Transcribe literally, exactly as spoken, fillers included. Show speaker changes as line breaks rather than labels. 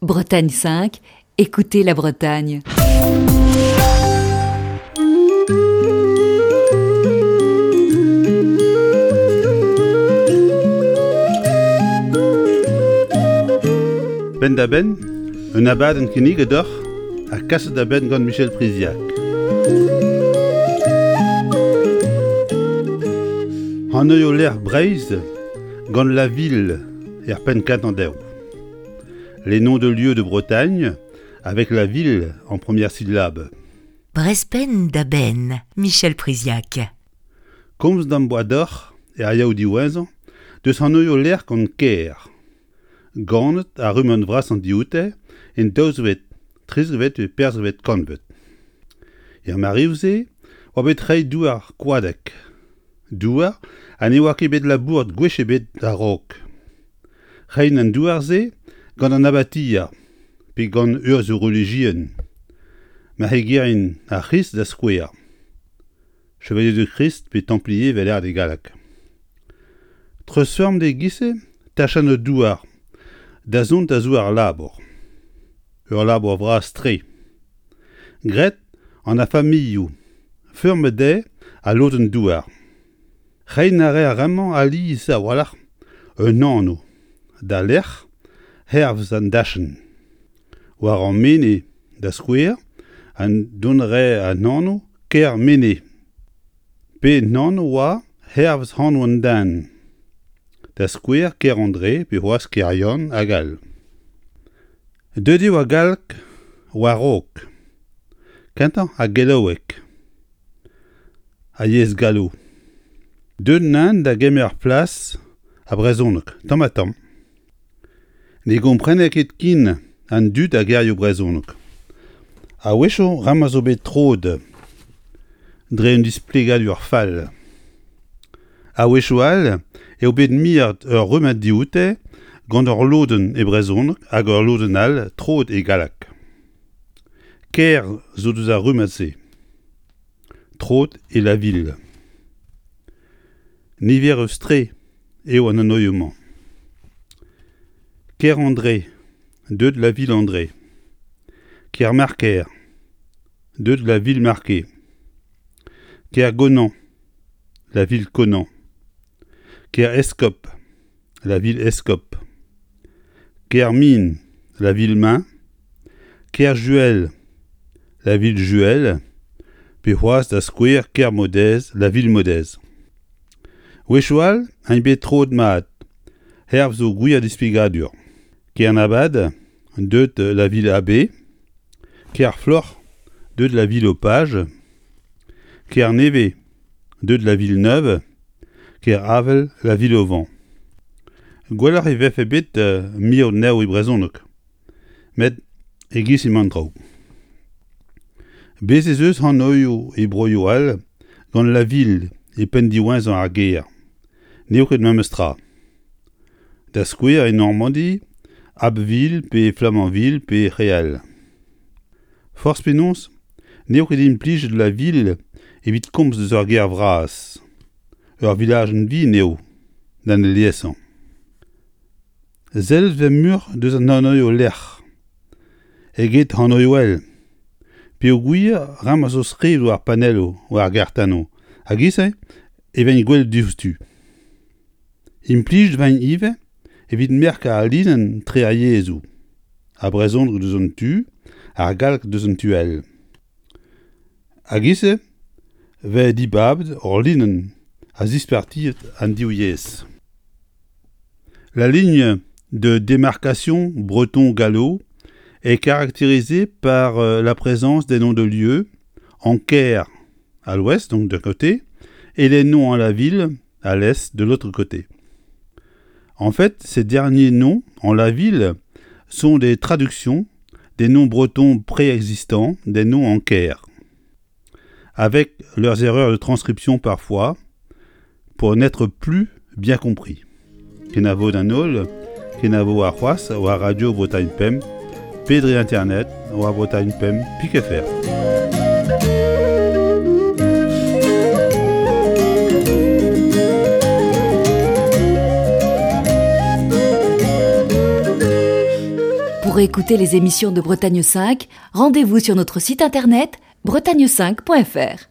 Bretagne cinq, écoutez la Bretagne.
Penn-da-benn, un abadenn kinniget deoc'h ha kaset da benn gant Michel Priziac. Anv lec'h Breizh gant la ville er penn kentañ dezho. Les noms de lieux de Bretagne avec la ville en première syllabe.
Brezh Penn da Benn, Michel Priziac.
Komz d'am boa deoc'h er yaou diwezhañ deus anvioù lec'h gant kêr. Ganet ar rummad vrasañ dioute en daouzvet, trizekvet pe perzekvet kantved. Er mareoù-se oa bet reiñ douar koadek. Douar ha ne oa ket bet labouret gwech ebet a-raok. Reiñ an douar-se gant an abatia pe gant urzhioù relijiel. Marc'hegerien ar C'hrist da skouer. Chevalier de Christ pe Templier 'vel lâret e galleg. Treuzfeurm e-giz-se tachenn douar da zont da zouar labour. Ur labour vras-tre. Graet an ar familhoù, feurmet dezhe al lodenn douar. Reiñ a rae ar re-mañ alies a-walc'h un anv da lec'h hervez an dachenn. War ar menez, da skouer, an dont a rae an anv Kermenez. Pe un anv oa hervez anv an den. Da skouer Kerandre pe c'hoazh Keryann hag all. Deuet eo ar galleg war-raok. Kentañ ar gallaoueg. Ar yezh gallo. Deuet int da gemer plas ar brezhoneg, tamm-ha-tamm. Ne gomprene ket ken an dud ar gerioù brezhoneg. A-wechoù ramañ zo bet troet dre un displegadur fall. A-wechoù all eo bet miret ur rummad dioute gant ur lodenn e brezhoneg hag ur lodenn all troet e galleg. Kêr zo deus ar rummad-se. Troet e la ville. Niverus-tre eo an anvioù-mañ. Kerandre, deuet la Ville-André. Kermarker, deuet la Ville-Marquée. Kergonan, la Ville-Conan. Kereskob, la Ville-Escope. Kermin, la Ville-Main. Kerjuel, la Ville-Juel. Pe c'hoazh da skouer Kermodez, la Ville-Modez. Wechoù all int bet troet mat, hervez o gwir displegadur. Kernabad, deuet la Ville-Abbé. Kerfloc'h, deuet la Ville-au-Page. Kernevez, deuet la Ville-Neuve. Keravel, la Ville-au-Vent. Gwelloc'h e vefe bet mirout anezho e brezhoneg. Met e-giz emañ an traoù. Bez' ez eus anvioù e broioù all gant la ville e penn diwezhañ ar ger. N'eo ket memes tra. Da skouer e Normandi, Abbeville pe Flamanville pe Réal. Forzh penaos, n'eo ket implijet la ville evit komz deus ur gêr vras. Ur vilajenn vihan eo, d'an aliesañ. Sellet 'vez muioc'h deus an anvioù lec'h eget anvioù all. Peogwir ramañ zo skrivet war panelloù war ar gartennoù hag e-se e vez gwelet diouzhtu. Implijet 'vez ivez evit merkañ al linenn tre ar yezhoù. Ar brezhoneg deus un tu, ar galleg deus an tu all. Hag e-se 'vez dibabet ur linenn a zispartiet an div yezh. La ligne de démarcation breton-gallo est caractérisée par la présence des noms de lieux en Ker à l'ouest, donc d'un côté, et les noms en la ville à l'est de l'autre côté. En fait, ces derniers noms en la ville sont des traductions des noms bretons préexistants, des noms en Ker, avec leurs erreurs de transcription parfois, pour n'être plus bien compris. Kenavo d'an holl, kenavo arc'hoazh war Radio Bretagne Pemp, pe dre internet war Bretagne Pemp pik F R.
Pour Pour écouter les émissions de Bretagne cinq, rendez-vous sur notre site internet bretagne cinq point F R.